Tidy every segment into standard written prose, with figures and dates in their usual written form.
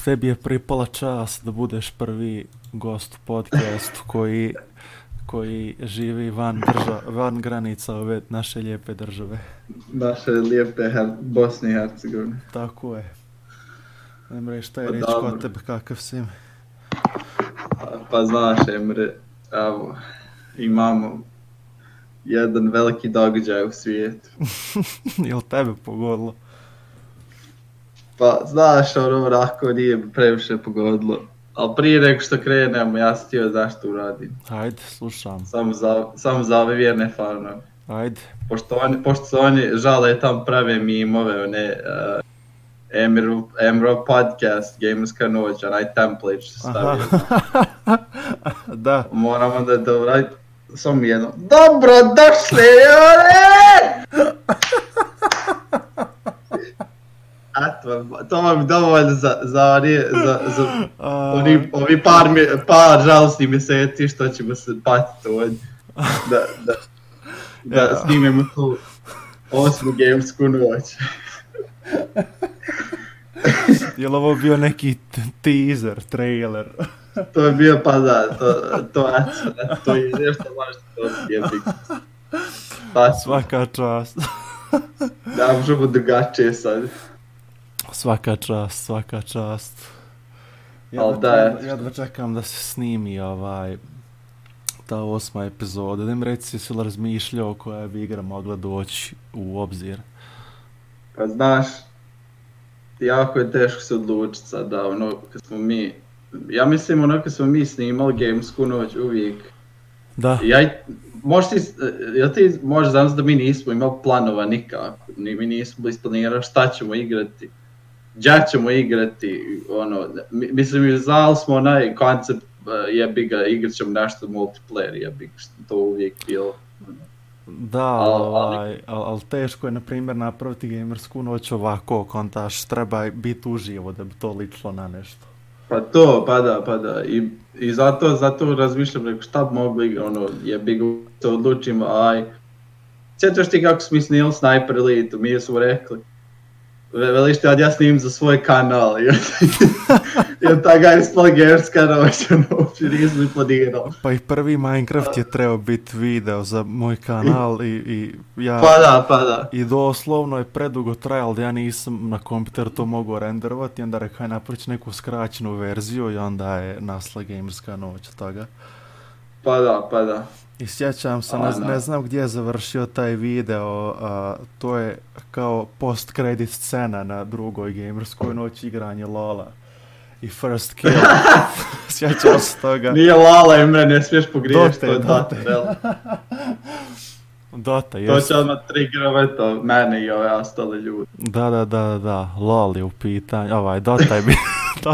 tebi je pripala čast da budeš prvi gost u podcastu koji živi van granica ove naše lijepe države. Naše lijepe Bosne i Hercegovine. Tako je. Emre, šta je reći kod tebe, kakav si? Pa znaš, Emre, evo, imamo jedan veliki događaj u svijetu. Jel tebe pogodilo? Pa znaš, onako nije previše pogodilo. Ali prije nego što krenemo, ja sam htio zašto uradim. Ajde, slušam. Samo za ove vjerne fanove. Ajde. Pošto se oni žale tam prave mimove, one Emro podcast, Gamerska noć, onaj template što stavio. Da. Moramo da uraditi samo jedno. Dobro došli, to vam je dovoljno za ovi par žalostnih mjeseci što ćemo se patiti ovdje. Da snimemo tu 8. Gamersku noć. Je li ovo bio neki teaser, trailer? To je bio, pa da, to je nešto važno to je biti. Svaka čast. Da, možemo drugačije sad. Svaka čast. Jedva čekam da se snimi ta 8. epizoda. Da im reci, si li razmišljao koja bi igra mogla doći u obzir? Pa znaš, jako je teško se odlučiti sad da kad smo mi, ja mislim kad smo mi snimali Gamersku noć uvijek. Da. Jel ti možeš znam da mi nismo imali planova nikako, mi nismo isplanirali šta ćemo igrati, gdje ćemo igrati, mislim znali smo onaj koncept, jebi ga, igrat ćemo nešto multiplayer, jebi ga, što to uvijek bilo. Da, ali teško je, na primjer, napraviti Gamersku noć ovako, kontaš, treba biti uživo da bi to ličilo na nešto. Pa da, i zato razmišljam, rekao, šta bi mogli, jebi ga, se odlučimo, sjećaš ti kako smo mi snimali Sniper Elite, mi smo rekli, veliš ti, ja snimim za svoj kanal, jer ta ga ispala Gamerska noć, uopće nisam ni planirao. Pa i prvi Minecraft je trebao biti video za moj kanal i ja... Pa da. I doslovno je predugo trajalo da ja nisam na kompjuteru to mogao renderovati i onda rekao napraviti neku skraćenu verziju i onda je nasla Gamerska noć od toga. Pa da. I sjećam se, ne znam gdje je završio taj video, to je kao post-credit scena na drugoj Gamerskoj noći, igranje Lola i first kill. Sjećam se toga. Nije Lala, Emre, ne smiješ pogriješiti, to je Dota. Dota, jesu. To će odmah triggerovat mene i ove ostale ljudi. Da, LOL je u pitanju,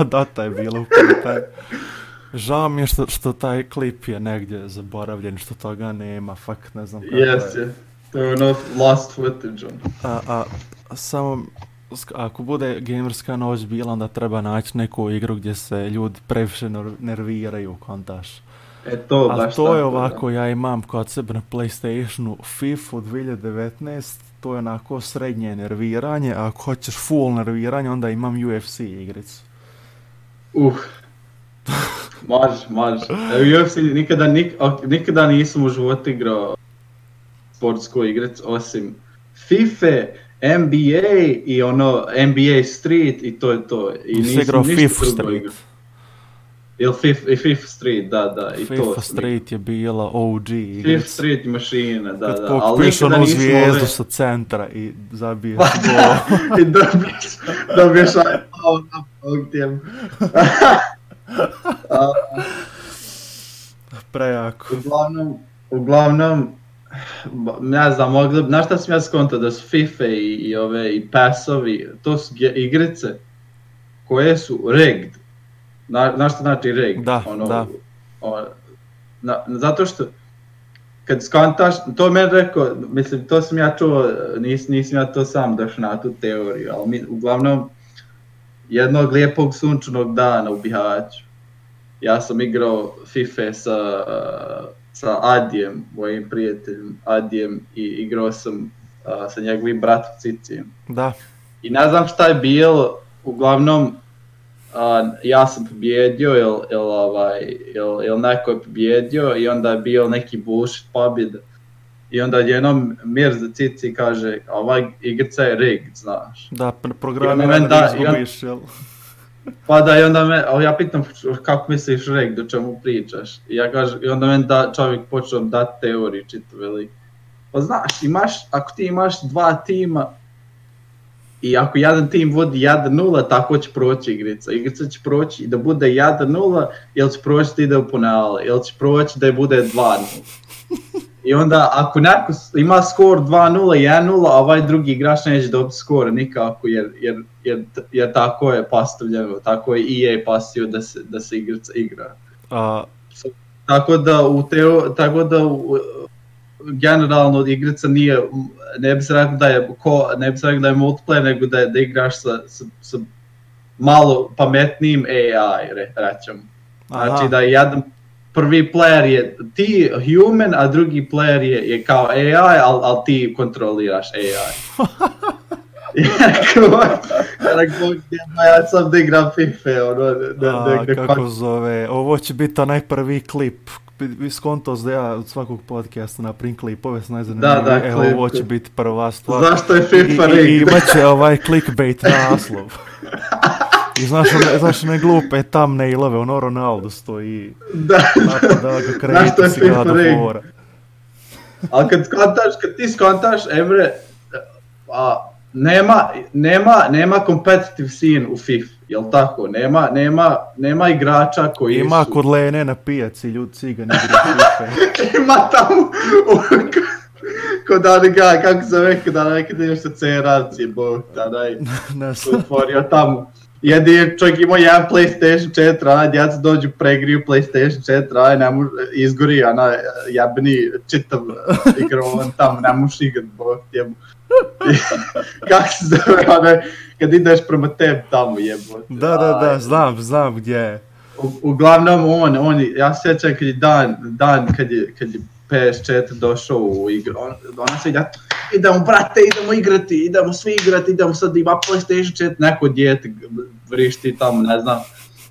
Dota je bilo u pitanju. Žao mi je što taj klip je negdje zaboravljen, što toga nema, fakt ne znam kako je. To je lost footage. Samo, ako bude Gamerska noć bila, onda treba naći neku igru gdje se ljudi previše nerviraju, kontaš. To je ovako, ja imam kod sebe na PlayStationu FIFA 2019, to je onako srednje nerviranje, a ako hoćeš full nerviranje, onda imam UFC igricu. Može. UFC nikada nisam u životu igrao sportsku igricu, osim FIFA, NBA i NBA Street i to je to. I nisam igrao FIFA Street. Ili FIFA Street, da. I FIFA to. Street je bila OG igrica. FIFA Street mašina, da. Kad pokupiješ onu zvijezdu sa centra i zabiješ gol. I dobiješ ovdje. Prejako. Uglavnom, ne znam, znaš šta sam ja skontao, da su FIFA i PES-ovi, to su igrice koje su rigged. Znaš šta znači rigged? Da. Zato što, kad skontaš, to meni rekao, mislim, to sam ja čuo, nisam ja to sam došao na tu teoriju, ali uglavnom, jednog lijepog sunčanog dana u Bihaću, ja sam igrao FIFA sa Adijem, mojim prijateljem Adijem, i igrao sam sa njegovim bratom Cicijem. Da. I ne znam šta je bilo, uglavnom ja sam pobjedio ili neko je pobjedio i onda je bio neki bullshit pobjeda. I onda jednom Mirza Cici kaže, ova igrica je rigged, znaš. Da, programiran da izgubiš, jel? Pa da, i onda ja pitam kako misliš rigged, o čemu pričaš. I onda meni čovjek počeo dati teoriju čitav velik. Pa znaš, ako ti imaš dva tima i ako jedan tim vodi 1-0, tako će proći igrica. Igrica će proći i da bude 1-0, ili će proći da ide u penale, ili će proći da bude 2-0. I onda ako neko ima skor 2-0 i 1-0, a ovaj drugi igrač neće dobiti skor nikako jer tako je postavljeno, tako je EA pasio da se igrica igra. Tako da generalno igrica nije, ne bi se rekao da je multiplayer, nego da igraš sa malo pametnijim AI, rećemo. Znači da jedan prvi player je ti human, a drugi player je kao AI, ali ti kontroliraš AI. Ja sam da igram FIFA. Kako zove, ovo će biti onaj prvi klip. Skontos da ja od svakog podcasta napravim klipove s najzanimljivije. Evo, ovo će biti prva stvar. Zašto je FIFA rigged? I imat će ovaj clickbait naslov. I znaš one glupe thumbnailove, ono Ronaldo stoji napada ga krediti si ga do fora. Ali kad ti skontaš, Emre, nema competitive scene u FIFA, jel tako? Nema igrača koji ima su... kod Lene na pijaci, ljudi cigani igraju FIFA. Ima tamo... Kod onega, kako se zove, kod onaj kad ideš sa CR-aci, bog, onaj otvorio tamo. Jedin čovjek imao jedan PlayStation 4, onaj djeca dođu pregriju PlayStation 4, onaj izgori, onaj jebeni čitav igrovan tamo, ne možeš igrat, bog, jebo. Kako se zove, onaj, kad ideš prema tebi tamo, jebo. Da, znam gdje je. Uglavnom ja se sjećam kad je dan kad je PS4 došao u igru, ona se idemo brate, idemo svi igrati, idemo sad ima PlayStation 4, neko dijete vrišti tamo, ne znam.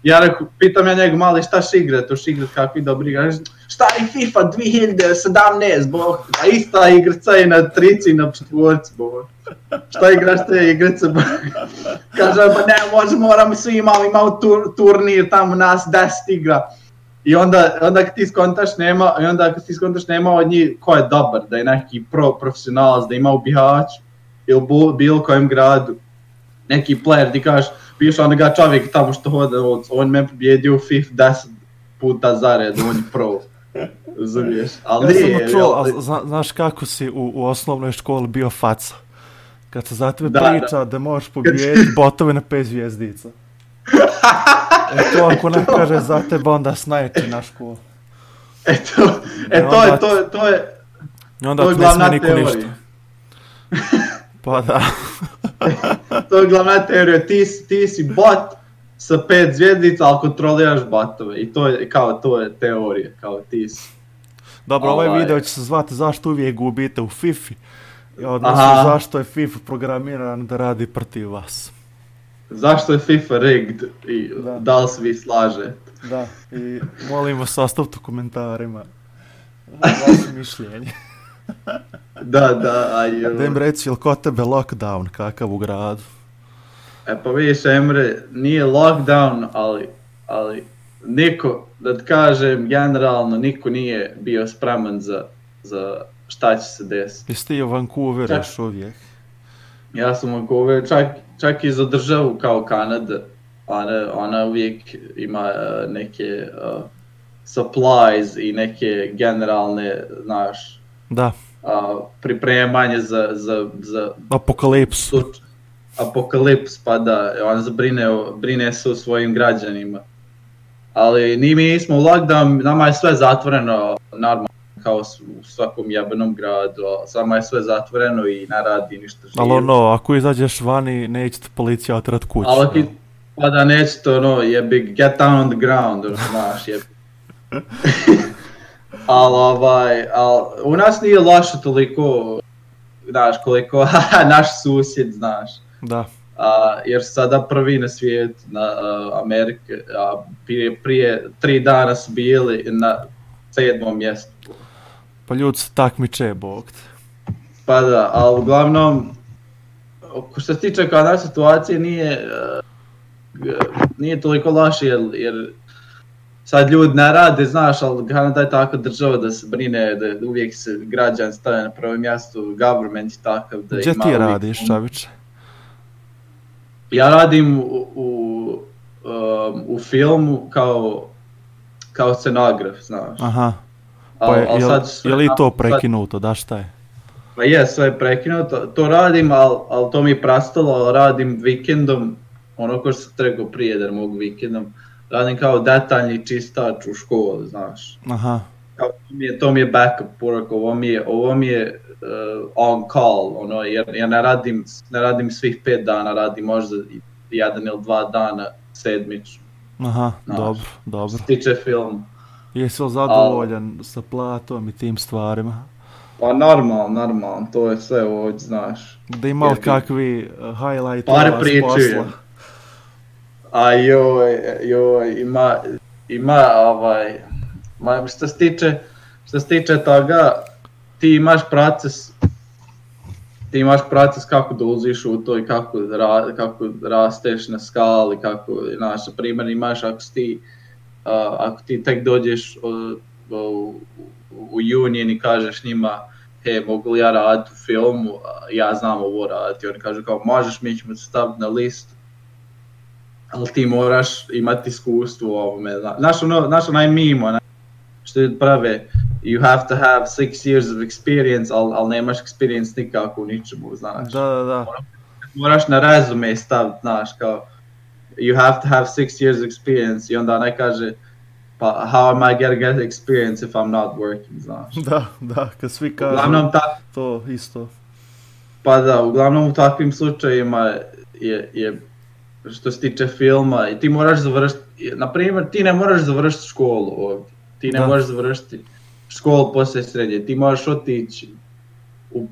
Ja rekao, pitam ja njega mali šta će igrati, kakvi dobri igraš, šta je FIFA 2017, bog, a ista igrica je na 3 i na 4, bog. Šta igraš te igrice, bog? Kaže, pa ne, moramo svi imamo turnir tamo, nas 10 igra. I onda kad ti skontaš nema od njih ko je dobar, da je neki profesionalac, da ima u Bihaću ili bilo kojem gradu neki player, ti kažeš, piše onoga čovjek tamo što hode, on me pobjedio u FIFA 10 puta zared, on je pro. Razumiješ? Ali ja sam čuo, znaš kako si u osnovnoj školi bio faca? Kad se za tebe priča da možeš pobijediti botove na 5 zvijezdica. To ako ne kaže za tebe, onda snajči na školu. To je onda ti ne smije niko ništa. Pa da. To je glavna teorija, ti si bot sa 5 zvjezdica, ali kontroliraš botove. I to je teorija, kao ti si. Dobro, ovaj video će se zvati zašto uvijek gubite u FIFA. Odnosno zašto je FIFA programiran da radi protiv vas. Zašto je FIFA rigged i da li se vi slažete? Da, i molim vas ostavite u komentarima vaše mišljenje. Da, ajde. Da im reci, ili kod tebe lockdown kakav u gradu? Pa vidiš, Emre, nije lockdown, ali niko, da ti kažem, generalno niko nije bio spreman za šta će se desiti. Jesi ti u Vancouveru još uvijek? Ja sam u Vancouveru, čak i za državu kao Kanada, ona uvijek ima neke supplies i neke generalne, znaš, pripremanje za apokalips, pa da, ona brine se o svojim građanima. Ali mi smo u lockdown, nama je sve zatvoreno, normalno, kao u svakom jebenom gradu, samo je sve zatvoreno i ne radi ništa živo. Ali ako izađeš vani, neće te policija otrat kuću. Pa da neće to, get down on the ground, znaš, ali u nas nije loše toliko, znaš, koliko naš susjed, znaš. Da. jer sada prvi na svijetu, na Amerike, prije 3 dana su bili na 7. mjestu. Pa ljudi se takmiče, bog te. Pa da, ali uglavnom, što se tiče kao naše situacije, nije toliko loše, jer sad ljudi ne rade, znaš, ali Kanada je tako država da se brine, da uvijek se građan stavlja na prvo mjestu, government je takav da gdje ima... Gdje ti radiš, Čaviče? Ja radim u filmu kao scenograf, znaš. Aha, pa je li to prekinuto, da šta je? Pa je, sve je prekinuto, to radim, ali to mi je prestalo, ali radim vikendom, ono ko što sam trebao prije da mogu vikendom, radim kao detaljni čistač u školi, znaš. Aha. To mi je backup work, ovo mi je on call, ono, jer ne radim svih 5 dana, radim možda 1 ili 2 dana sedmično. Aha, znaš, dobro. Što tiče film. Jesi li zadovoljan sa platom i tim stvarima? Pa normalno, to je sve ovdje, znaš. Da ima li kakvi highlight par pričujem. A joj, ima što se tiče toga, ti imaš proces kako da uziš u to i kako rasteš na skali, kako, znaš, na primjer imaš ako ti tek dođeš u Union i kažeš njima, mogu li ja raditi u filmu, ja znam ovo raditi, oni kažu kao možeš, mi ćemo se staviti na listu, ali ti moraš imati iskustvo u ovome, znaš onaj mimo, što prave, you have to have 6 years of experience, ali nemaš experience nikako u ničemu, znaš. Da. Moraš na rezume staviti, znaš, kao, you have to have 6 years of experience, i onda ne kaže, pa how am I gonna get experience if I'm not working, znaš. Da, kad svi kažu to isto. Pa da, uglavnom u takvim slučajima je što se tiče filma, i ti moraš završiti, na primjer, ti ne moraš završiti školu ovdje, ti ne možeš završiti školu poslije srednje, ti možeš otići u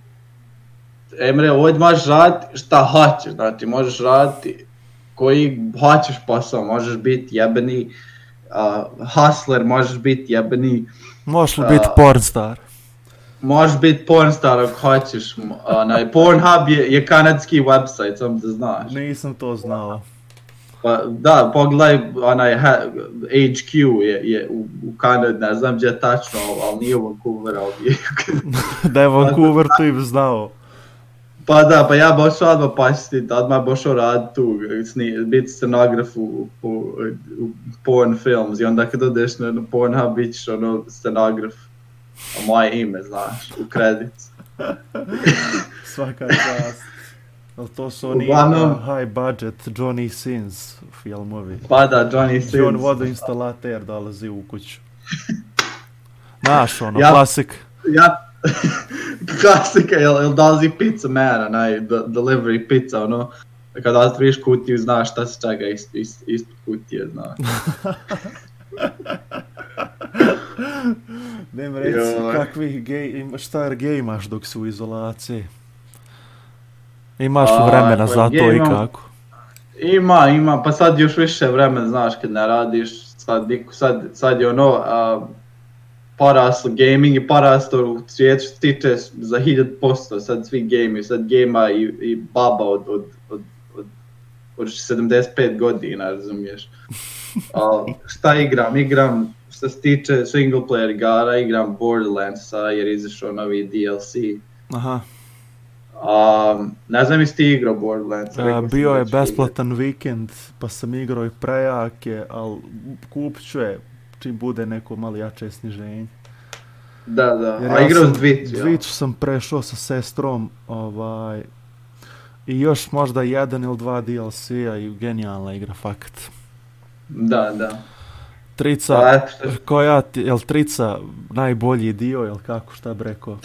Emre, ovdje možeš raditi šta hoćeš, znači možeš raditi koji hoćeš posao, možeš biti jebeni hustler, možeš biti jebeni... Možeš li biti pornstar? Možeš biti pornstar ako hoćeš. Pornhub je kanadski website, samo da znaš. Nisam to znao. Pa, da, pogledaj, HQ je u Kanadi, ne znam gdje je tačno, ali nije u Vancouver, ali da je Vancouver, to im znao. Pa da, pa ja bošao odmah pasiti, odmah bošao raditi tu, biti scenograf u porn films, i onda kad odeš na Pornhub bićeš scenograf, a moje ime, znaš, u kredicu. Svaka čast. Ali to su oni high budget Johnny Sins filmovi. Pa da, Johnny Sins. John vodoinstalater dolazi u kuću. Znaš, klasik. Klasika, jel dolazi pizza man, delivery pizza, kada otvoriš kutiju, znaš šta se čega ispod kutije, znaš. Nem reci kakvih šta gej imaš dok si u izolaciji? Imaš vremena za to i kako? Ima, pa sad još više vremena, znaš, kad ne radiš, sad je poraslo gaming i poraslo u svijetu što tiče za 1000%, sad svi gameri, sad gejma i baba od 75 godina, razumiješ. Šta igram, što se tiče single player igara, igram Borderlandsa jer izašao novi DLC. Aha. Ne znam jesi ti igrao Borderlands. Bio je besplatan vikend, pa sam igrao i prejake, ali kupit ću je čim bude neko malo jače sniženje. Da, a igrao s Dvicu. Dvicu sam prešao sa sestrom, i još možda 1 ili 2 DLC-a i genijalna igra, fakat. Da. Trica, jel Trica najbolji dio, jel kako, šta bi rekao?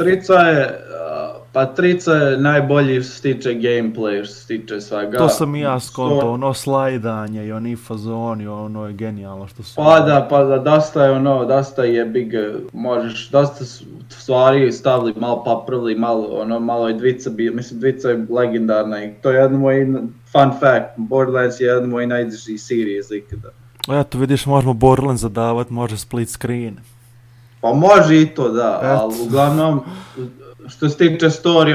Trica je najbolji što se tiče gameplay, što se tiče svega. To sam i ja skontao, slajdanje i oni fazoni, je genijalno što su... Pa da, dosta je big, možeš, dosta stvari stavili, malo popravili, malo je Dvica, mislim Dvica je legendarna i to je jedna moja fun fact, Borderlands je jedna od mojih najdražih serija iz ikada. Eto, vidiš, možemo Borderlands zadavat, može split screen. Pa može i to, da, ali uglavnom, što se tiče story,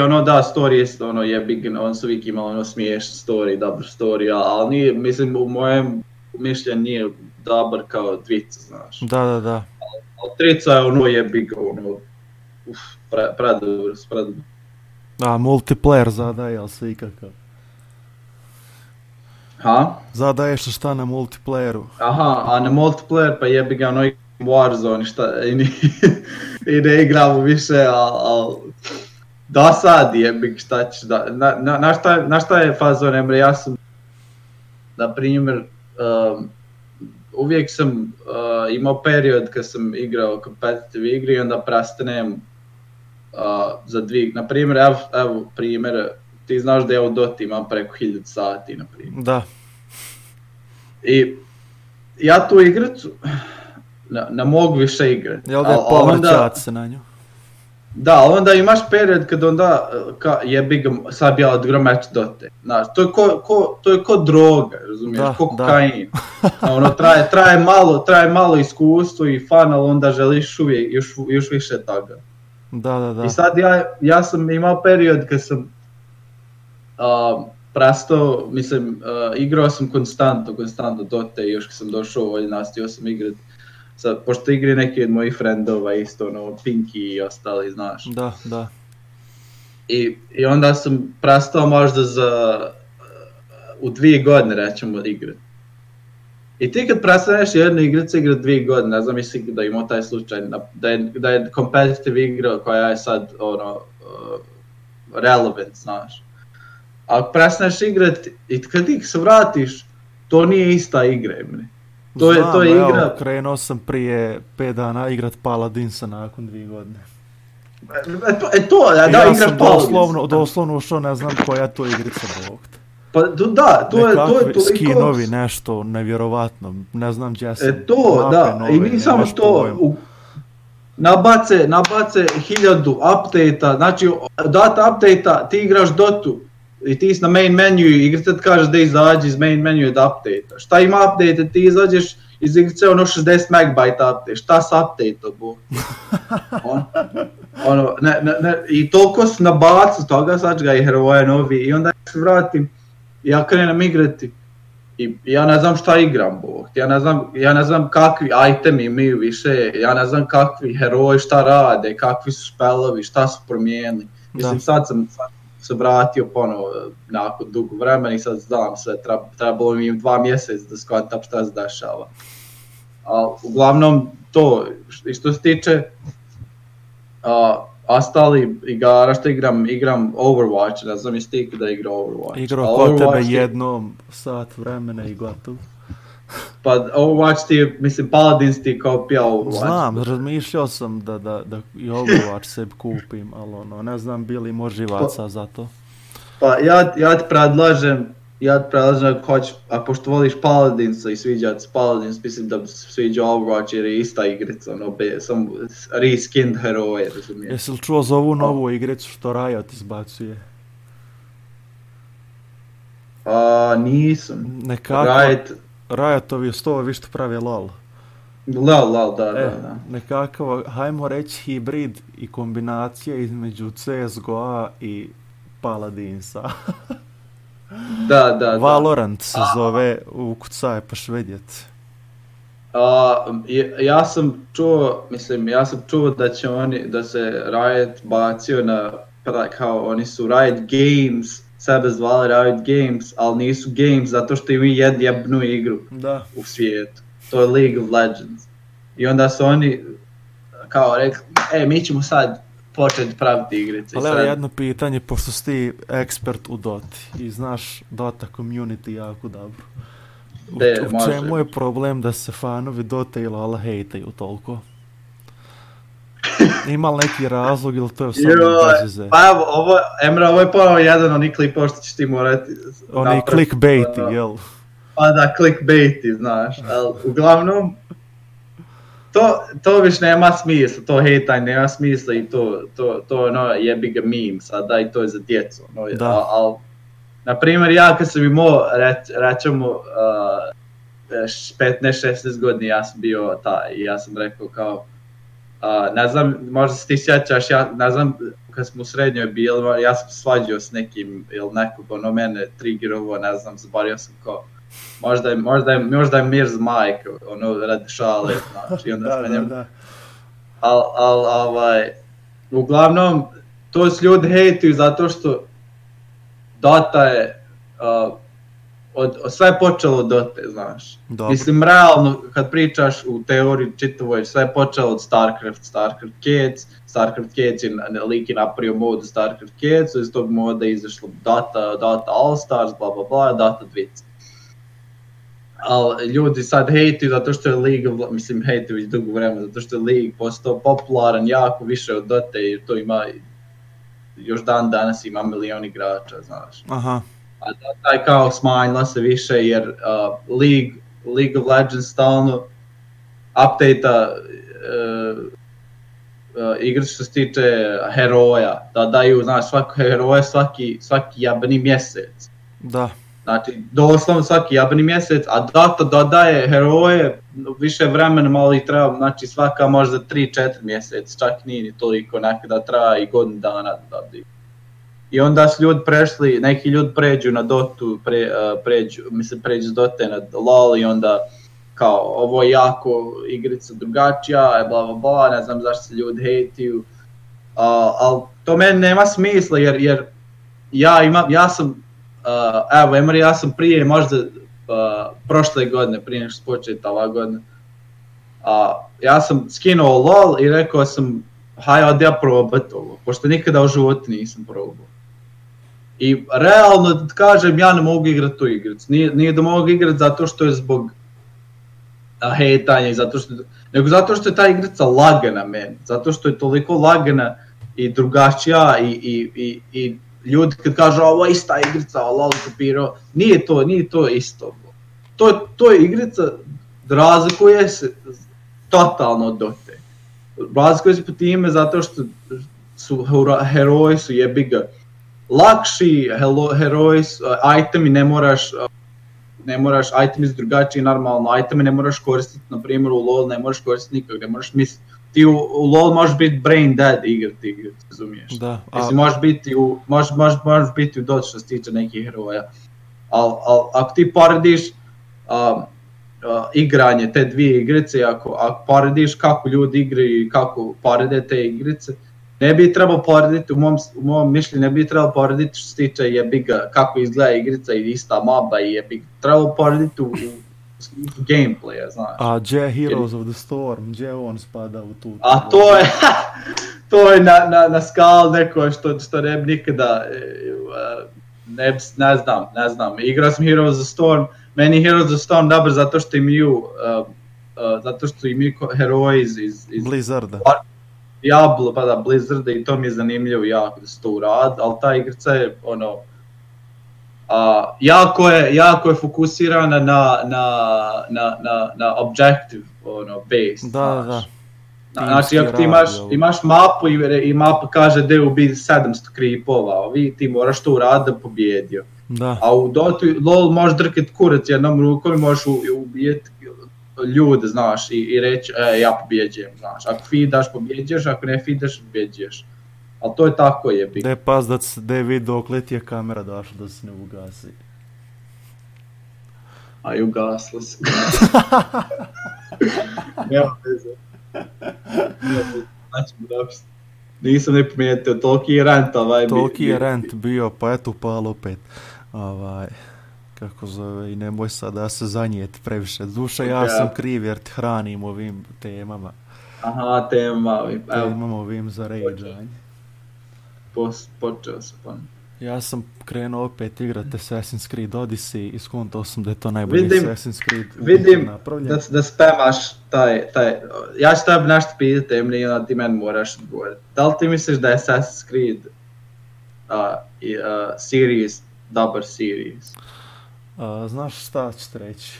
story je jebi, on su uvijek imali smiješan story, dobar story, ali nije, mislim, u mojem mišljenju nije dobar kao dvica, znaš. Da. Ali trica je jebi ga, predobar. Da, multiplayer zadaje, ali se ikakav. Ha? Zadaješ šta na multiplayeru. Aha, a na multiplayer pa jebi ga Warzone i ne igramo više, ali dosadi jebik šta ćeš da... Na šta je fazon, Emre, ja sam, na primjer, uvijek sam imao period kad sam igrao competitive igri i onda prestanem za dvije, na primjer, evo primjer, ti znaš da ja u Doti imam preko 1000 sati, na primjer. Da. I ja tu igricu ne mogu više igrati. Jel da je povrćat se na nju? Da, onda imaš period kad onda jebi ga, sad bi ja odigrao meč Dote. Znaš, to je ko droga, razumiješ, ko kokain. Traje malo iskustvo i fun, ali onda želiš uvijek još više toga. Da. I sad ja sam imao period kad sam prestao, mislim, igrao sam konstantno Dote i još kad sam došao nastavio sam igrati. Sad, pošto igri neki od mojih frendova isto, Pinky i ostali, znaš. Da. I onda sam prestao možda u 2 godine, rećemo, igrati. I ti kad prestaneš jednu igricu igrati 2 godine, ne znam jesi da imao taj slučaj, da je competitive igra koja je sad, relevant, znaš. Ako prestaneš igrati i kad ti se vratiš, to nije ista igra, Emre. To je igra... Evo, krenuo sam prije 5 dana igrat Paladinsa nakon 2 godine. Da, igraš Paladinsa. Ja sam doslovno ušao, ne znam koja to igrica Bog. Pa da, to je toliko... skinovi, nešto nevjerovatno, ne znam gdje sam. I nije samo to... Nabace 1000 update-a, znači data update-a, ti igraš Dotu. I ti si na main menu i igrica ti kaže da izađi iz main menu od update-a. Šta ima update-a, ti izađeš iz igrice 60 MB update, šta s update-a, bo? I toliko su nabacu toga, sad ga i heroje novi i onda se vratim, ja krenem igrati i ja ne znam šta igram, bo. Ja ne znam kakvi itemi imaju više, ja ne znam kakvi heroji šta rade, kakvi su spellovi, šta su promijenili. Mislim, sad sam se vratio ponovo nakon dugo vremena i sad znam sve, trebalo mi 2 mjeseca da shvatam šta se dešava. Ali uglavnom to, što se tiče ostali igara što igram Overwatch, ne znam jesi ti da igra Overwatch. Igrao kod tebe jednom sat vremena i gotovo. Pa Overwatch ti, mislim Paladins ti kao pija Overwatch. Znam, razmišljao sam da i Overwatch sebi kupim, ali ne znam bili može živaca za to. Pa ja ti predlažem a pošto voliš Paladinsa i sviđa se Paladins, mislim da se sviđa Overwatch jer je ista igrica, sam reskinned heroje, razumiješ. Jesi li čuo za ovu novu igricu što Riot izbacuje? Nisam. Riotovi s to vi što pravi LOL. LOL, da. Nekakav, hajmo reći, hibrid i kombinacija između CSGO-a i Paladinsa. Da. Valorant se zove, ukucaj paš vidjet. Ja sam čuo da se Riot bacio na, kao oni su Riot Games, sebe zvali Riot Games, ali nisu games zato što imaju jednu igru u svijetu. To je League of Legends. I onda su oni kao rekli, mi ćemo sad početi praviti igrice. Ali sad... jedno pitanje, pošto si ti ekspert u Doti i znaš Dota community jako dobro. U čemu je problem da se fanovi Dota i LoL hejtaju toliko? Ima li neki razlog ili to je samo bazize? Pa evo, ovo je ponovo jedan oni klipova što ćeš ti morati... Oni clickbaiti, jel? Pa da, clickbaiti, znaš, ali uglavnom... To više nema smisla, to hejtanje nema smisla i to jebi ga meme sada i to je za djecu, ali Na primjer, ja kad sam imao, rećemo, 15-16 godina, ja sam bio taj, i ja sam rekao kao, ne znam, možda se ti sjećaš, ja ne znam, kad smo u srednjoj bili, ja sam svađao s nekim, ili nekog, ono mene triggerovo, ne znam, zaboravio sam kao, možda je Mirz Mike, ono, radi šale, znači, i onda sam njemu. Uglavnom, to s ljudi hejtuju zato što Dota je, sve je počelo od Dote, znaš. Dobro. Mislim, realno, kad pričaš u teoriji čitavoj, sve je počelo od StarCraft Kids je liki napravio mod StarCraft Kids, iz tog moda je izašlo Dota All Stars, bla bla bla, Dota 2. Ali ljudi sad hejtuju zato što je League, mislim hejtuju već dugo vremena, zato što je League postao popularan jako više od Dota i to ima, još dan danas ima milion igrača, znaš. Aha. A Dota je kao smanjila se više jer League of Legends stalno update-a igre što se tiče heroja, da daju, znaš, svako heroje svaki jebeni mjesec. Da. Znači, doslovno svaki jebeni mjesec, a Dota dodaje heroje više vremena, malo ih treba, znači svaka možda 3-4 mjesec, čak nije ni toliko, nekada traja i godinu dana da dodaju. I onda su ljudi prešli, neki ljudi pređu na Dotu, pređu s Dote na LoL i onda kao ovo je jako igrica drugačija, bla bla bla, ne znam zašto se ljudi hejtuju, ali to meni nema smisla jer ja sam, evo Emery, ja sam prije možda prošle godine, prije nego što početa ova godina, ja sam skinuo LoL i rekao sam hajde ja probat ovo, pošto nikada u životu nisam probao. I realno da kažem, ja ne mogu igrati tu igricu. Nije da mogu igrati zato što je zbog hejtanja i nego zato što je ta igrica lagana meni. Zato što je toliko lagana i drugačija i ljudi kad kažu ovo je ista igrica, LOL kopirao, nije to isto. To je igrica, razlikuje se totalno od Dote. Razlikuje se po time zato što su heroji su jebiga lakši, heroji, itemi ne moraš, itemi su drugačiji normalno, itemi ne moraš koristiti, na primjer u LoL ne moraš koristiti nikog, ne moraš misliti, ti u LoL možeš biti brain dead igrati, razumiješ? Da. Mislim, možeš biti u Dota što se tiče nekih heroja, ali ako ti porediš igranje te dvije igrice, ako porediš kako ljudi igraju i kako porede te igrice, ne bi trebalo porediti, u mom mišljenju ne bi trebalo porediti što se tiče jebiga kako izgleda igrica i ista mapa i jebiga. Trebalo porediti u gameplaya, znaš. A gdje Heroes of the Storm, gdje on spada u tu? A to je na skal neko što ne bi nikada, ne znam. Igrao sam Heroes of the Storm, meni Heroes of the Storm dobro zato što imaju heroji iz Blizzarda. Diablo, pa da, Blizzard i to mi je zanimljivo jako da se to uradi, ali ta igrica je ono, jako je fokusirana na objective, ono, based. Da. Znači, ako ti imaš mapu i mapa kaže da je ubi 700 creepova, ti moraš to uraditi da pobjedio. Da. A u Dotu, LoL možeš drkati kurac jednom rukom i možeš ubijeti ljude, znaš, i reći, ja pobjeđujem, znaš, ako feedaš, pobjeđuješ, ako ne feedaš, pobjeđuješ, ali to je tako jebi. Ne pas da je vidio klet je kamera došla da se ne ugasi. A i ugasla se. Nema veze. Znači, nisam ne primijetio, toliki je rent ovaj. Toliki je rent bio, pa eto upalo opet. Kako zove, i nemoj sad da se zanijeti previše. Duša, ja sam kriv jer te hranim ovim temama. Aha, temama ovim za rageanje. Počeo sam pa. Ja sam krenuo opet igrati Assassin's Creed Odyssey i skontao sam da je to najbolji Assassin's Creed napravljen. Vidim da spamaš taj, ja ću tebi nešto pitati, i onda ti meni moraš odgovoriti. Da li ti misliš da je Assassin's Creed series, dobar series? Znaš šta ću ti reći?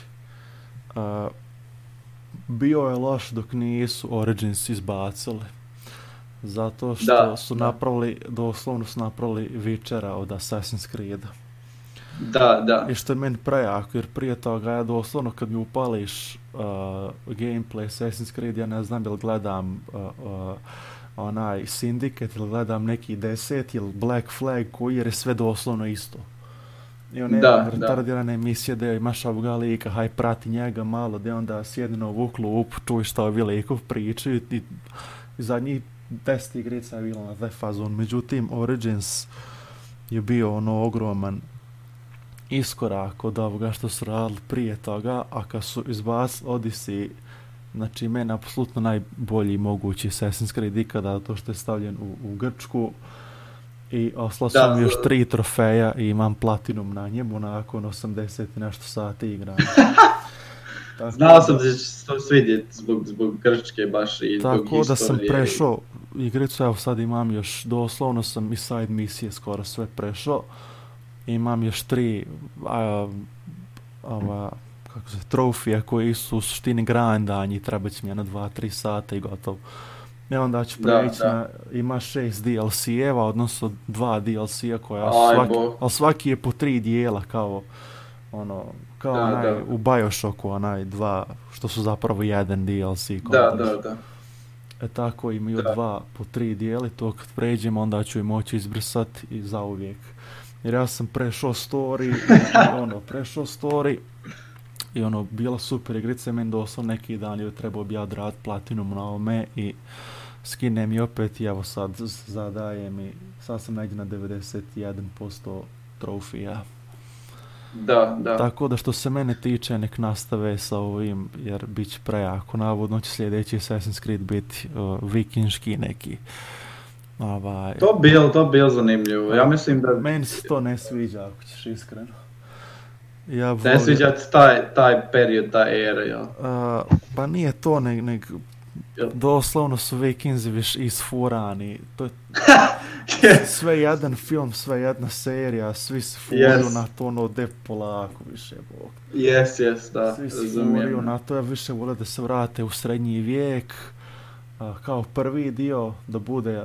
Bio je loš dok nisu Origins izbacili. Zato što su napravili, doslovno su napravili Witchera od Assassin's Creeda. Da. I što je meni prejako, jer prije toga ja doslovno kad mi upališ gameplay Assassin's Creed, ja ne znam ili gledam onaj Syndicate ili gledam neki 10 ili Black Flag koji jer je sve doslovno isto. I one retardirane emisije da imaš ovoga lika, haj prati njega malo, da onda sjedi na ovu klupu, čuj šta ovi likov pričaju i zadnjih 10 igrica je bilo na taj fazon. Međutim, Origins je bio ogroman iskorak od ovoga što su radili prije toga, a kad su izbacili Odyssey, znači meni apsolutno najbolji mogući Assassin's Creed ikada, to što je stavljen u Grčku i oslao sam još 3 trofeja i imam platinum na njemu nakon 80 i nešto sati igranja. Znao sam da će se to svidjeti zbog Grčke baš i zbog tako historije. Da sam prešao igricu, evo sad imam još, doslovno sam i side misije skoro sve prešao. Imam još 3 trofija koji su u suštini grindanji, treba će mi jedno 2-3 sata i gotovo. I onda ću preći na, ima 6 DLC-eva, odnosno 2 DLC-a koja ali svaki je po 3 dijela kao u Bioshocku, onaj 2, što su zapravo jedan DLC. Da. Tako imaju 2 po 3 dijeli, to kad pređemo onda ću i moći izbrisati i zauvijek. Jer ja sam prešao story i bila super igrica, meni doslovno neki dan je trebao bi ja odraditi platinum na ovome i skinem i opet i evo sad zadajem i sad sam negdje na 91% trofija. Da. Tako da što se mene tiče nek nastave sa ovim jer bit će prejako. Navodno će sljedeći Assassin's Creed biti vikinški neki. To bil zanimljivo. Ja mislim da... Meni se to ne sviđa ako ćeš iskreno. Ne sviđa ti taj period, ta era, jel? Pa nije to, nek doslovno su Vikinzi viš isfurani. To je sve jedan film, sve jedna serija, svi se furaju na to, de polako više, bog. Da. Svi se furaju na to, ja više vole da se vrate u srednji vijek, kao prvi dio, da bude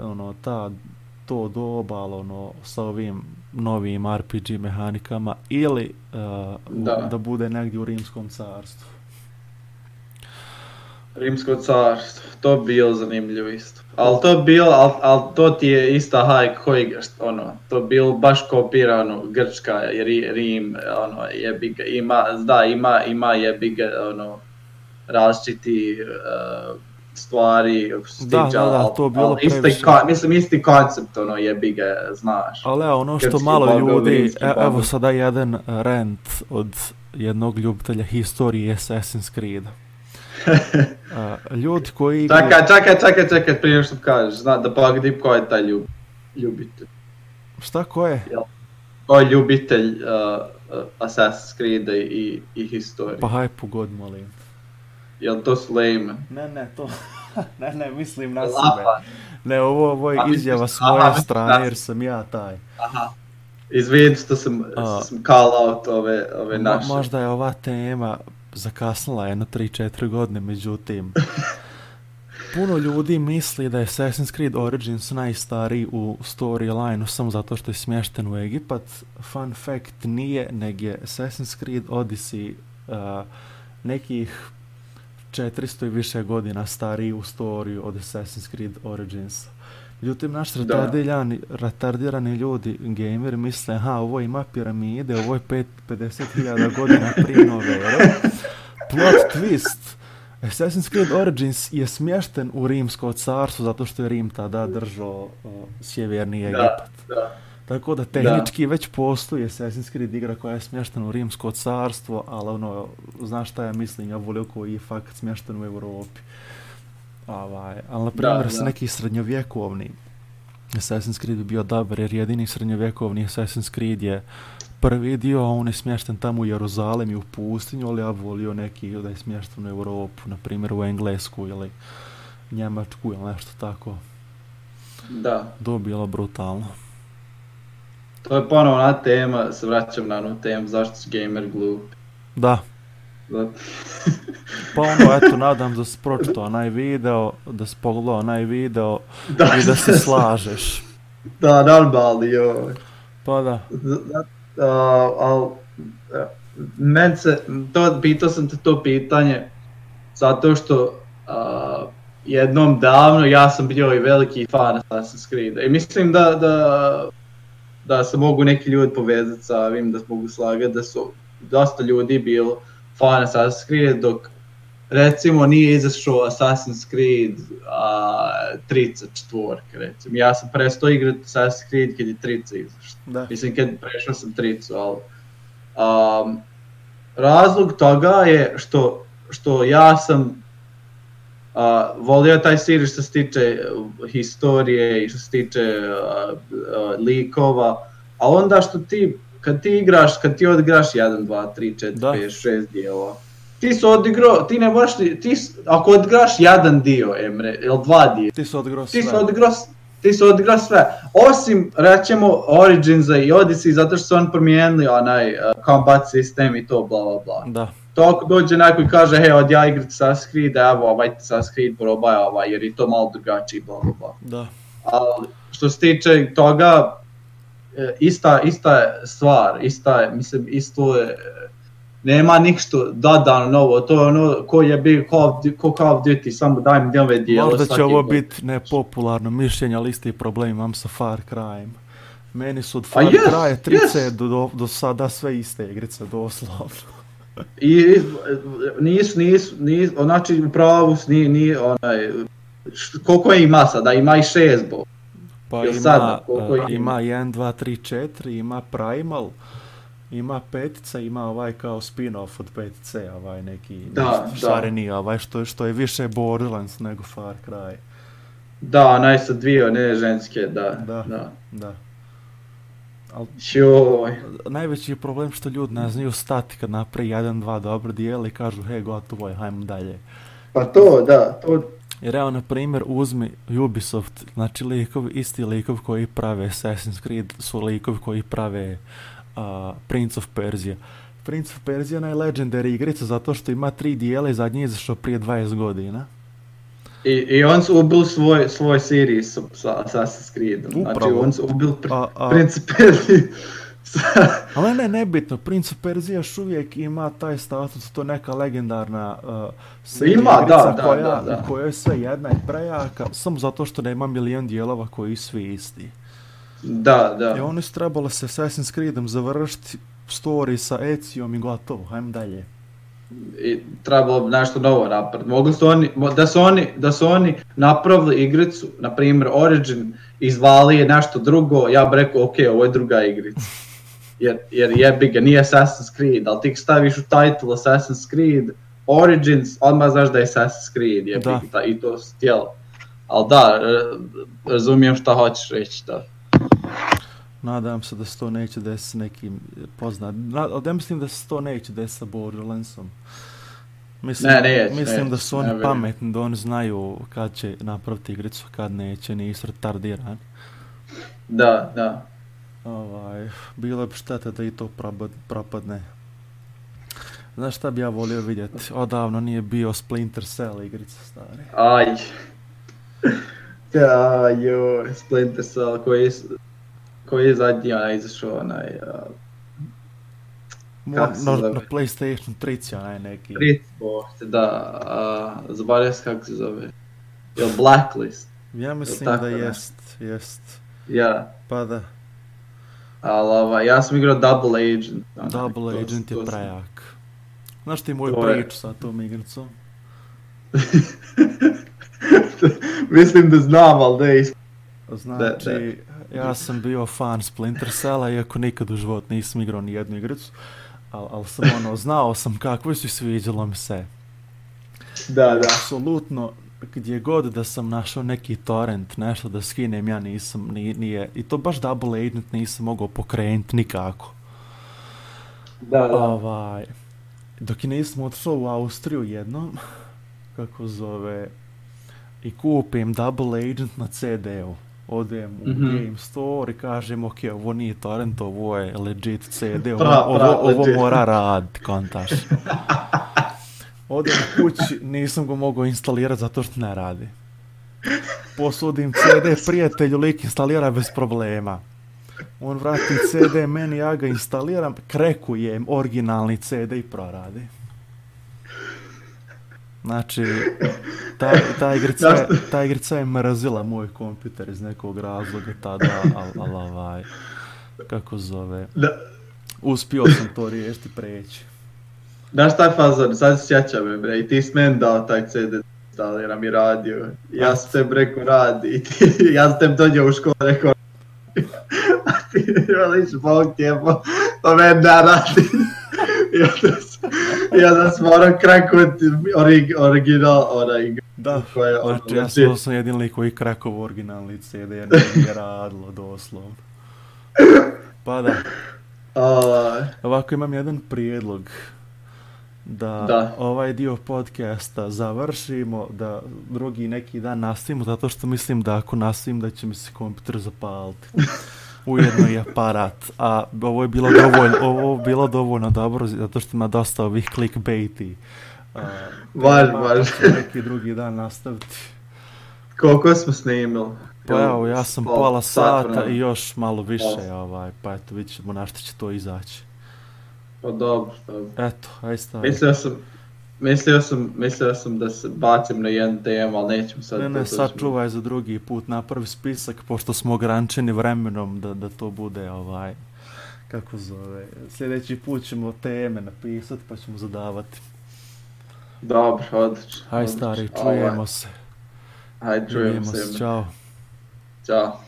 to doba, sa ovim novim RPG mehanikama, ili da bude negdje u Rimskom carstvu. Rimsko carstvo, to bi bilo zanimljivo isto. Ali to ti je ista hajk koji, to bi bilo baš kopirano Grčka, Rim, jebiga, ima jebiga, različiti stvari, da, to bilo previše. Mislim, isti koncept, jebiga, znaš. Ali što malo ljudi, evo sada jedan rant od jednog ljubitelja historije Assassin's Creed. Ljudi koji... Čekaj, prije što kažeš, da pogledaj ko je taj ljubitelj. Šta, ko je? Ko je ljubitelj Assassin's Creed i historije? Pa haj pogod, molim. Jel to Sulejman? Ne, to... ne, mislim na sebe. Ne, ovo je izjava s moje strane jer sam ja taj. Aha. Izvini što sam call out ove naše. Možda je ova tema zakasnila jedno 3-4 godine, međutim puno ljudi misli da je Assassin's Creed Origins najstariji u storyline-u samo zato što je smješten u Egipat. Fun fact, nije, nego je Assassin's Creed Odyssey nekih 400 i više godina stariji u storiju od Assassin's Creed Origins. Međutim, naš retardirani ljudi, gameri, misle, ovo ima piramide, ovo je 50.000 godina prije nove ere. Plot twist, Assassin's Creed Origins je smješten u Rimsko carstvo zato što je Rim tada držao sjeverni Egipat. Tako da tehnički već postoji Assassin's Creed igra koja je smještena u Rimsko carstvo, ali znaš šta ja mislim, ja volio koji je fakt smješten u Europi. Ali na primjer neki srednjovjekovni Assassin's Creed bi bio dobar jer jedini srednjovjekovni Assassin's Creed je prvi dio, a on je smješten tamo u Jeruzalem i u pustinju, ali ja volio neki da je smješten u Europu, na primjer u Englesku ili Njemačku ili nešto tako. Da. To je bilo brutalno. To je ponovna tema, se vraćam na onu temu, zašto su gamer glupi. Da. Pa eto, nadam da si pročitao onaj video, da si pogledao onaj video i da se slažeš. Da, normalni, joj. Pa da. ali pitao sam te to pitanje zato što jednom davno ja sam bio i veliki fan Assassin's Creed i mislim da se mogu neki ljudi povezati sa ovim, da se mogu slagati da su dosta ljudi bilo fan Assassin's Creed dok recimo nije izašao Assassin's Creed 34, recimo. Ja sam prestao igrati Assassin's Creed kad je 30 izašao. Mislim kad prešao sam 30, ali razlog toga je što ja sam volio taj series što se tiče historije i što se tiče likova, a onda što kad ti odigraš 1, 2, 3, 4, 5, 6 dijela, ti si odigrao, ti ne možeš, ako odigraš jedan dio, Emre, ili 2 dio, ti si odigrao sve, osim, rećemo, Originsa i Odyssey, zato što su oni promijenili onaj combat sistem i to, bla, bla, bla. Da. To ako dođe neko i kaže, hej, od ja igrati Assassin's Creed, evo, ovaj Assassin's Creed probaj, jer je to malo drugačiji, bla, bla, bla. Da. Ali, što se tiče toga, ista stvar, isto je, nema ništa dodano novo, to je ono ko je bio Call of Duty, samo daj mi nove dijelo. Možda će ovo biti nepopularno mišljenje, ali isti problem imam sa Far Cryem. Meni su od Far Cry 30 do sada sve iste igrice, doslovno. I nisu, znači u pravu nije onaj, koliko ima sada, ima i 6 bo. Pa ima 1, 2, 3, 4, ima Primal, ima 5, ima ovaj kao spin-off od 5, ovaj neki šareni, ovaj što je više Borderlands nego Far Cry. Da, onaj sa dvije, ne ženske, da. Najveći je problem što ljudi ne znaju stati kad napravi 1, 2 dobro dijela i kažu hej gotovo je, hajmo dalje. Pa to, da. Jer evo na primjer uzmi Ubisoft, znači isti likovi koji prave Assassin's Creed su likovi koji prave Prince of Persia. Prince of Persia je najlegendary igrica zato što ima 3 dijela i zadnji je izašao prije 20 godina. I on su ubili svoj series sa Assassin's Creedom. Znači on su ubili Prince of Persia. Ali nebitno, Prince of Persia još uvijek ima taj status, to neka legendarna igrica koja je sve jedna i prejaka, samo zato što nema milion dijelova koji svi isti. Da. I oni su trebalo se Assassin's Creedom završiti story sa Ezijom i gotovo, hajmo dalje. I trebalo nešto novo napraviti. Mogli su da su oni napravili igricu, na primjer Origin, izvali je nešto drugo, ja bih rekao ok, ovo je druga igrica. Jer jebi ga, nije Assassin's Creed, ali ti staviš u title Assassin's Creed Origins, odmah znaš da je Assassin's Creed, jebi ga, i to si htjelo. Ali da, razumijem šta hoćeš reći, da. Nadam se da se to neće desiti s nekim poznatim. Ja mislim da se to neće desiti sa Borderlandsom. Mislim da su oni pametni, da oni znaju kad će napraviti igricu, kad neće, nisu retardirani. Da. Bilo bi šteta da i to propadne. Znaš šta bi ja volio vidjeti? Odavno nije bio Splinter Cell igrica, stari. Splinter Cell koji je zadnji izašao na PlayStation 3 neki. Zaboravio se kako se zove. Je li Blacklist? Ja mislim da jest. Ja. Pa da. Ali ja sam igrao Double Agent. Double Agent je prejak. Znaš ti moju priču sa tom igricom? Mislim da znam, ali da je Znači, ja sam bio fan Splinter Cella, iako nikad u život nisam igrao ni jednu igricu, ali sam znao sam kakvo su i sviđalo mi se. Da. Apsolutno, gdje god da sam našao neki torrent, nešto da skinem, ja nisam, nije, i to baš Double Agent nisam mogao pokrenuti nikako. Da. Dok i nisam otišao u Austriju jednom, i kupim Double Agent na CD-u. Odem u Game Store i kažem, ok, ovo nije torrent, ovo je legit CD, ovo mora raditi, kontaš. Odem kući, nisam ga mogao instalirati zato što ne radi. Posudim CD prijatelju, lik instalira bez problema. On vrati CD meni, ja ga instaliram, krekujem originalni CD i proradi. Znači, ta igrica je mrazila moj kompjuter iz nekog razloga tada, ali kako zove, uspio sam to riješiti preći. Znaš taj fazon, sad se sjećam me bre, i ti si meni dao taj CD instaliram i radio. Ja sam tebi rekao radi, ja sam tebi dođeo u školu rekao a ti veliš Bog tijemo, to meni da radi. I onda sam morao krakovati original onaj. Da, znači ja sam jedin lik koji krakovo originalni CD jer nije radilo doslovno. Pa da. Ovako imam jedan prijedlog. Da ovaj dio podcasta završimo, da drugi neki dan nastavimo, zato što mislim da ako nastavim da će mi se kompjuter zapaliti. Ujedno i aparat. A ovo je bilo dovoljno dobro, zato što ima dosta ovih clickbaiti. Važ. Neki drugi dan nastaviti. Koliko smo snimili? Pa evo, ja sam pola sata i još malo više, pa eto, vidit ćemo na što će to izaći. Pa dobro. Eto, aj stavi. Mislio sam da se bacim na jedan temu, ali nećemo sad. Ne, sad čuvaj za drugi put, napravi spisak, pošto smo ograničeni vremenom da to bude kako zove. Sljedeći put ćemo teme napisati pa ćemo zadavati. Dobro, odlično. Aj stari, čujemo se. Aj, čujemo se. Ćao. Ćao.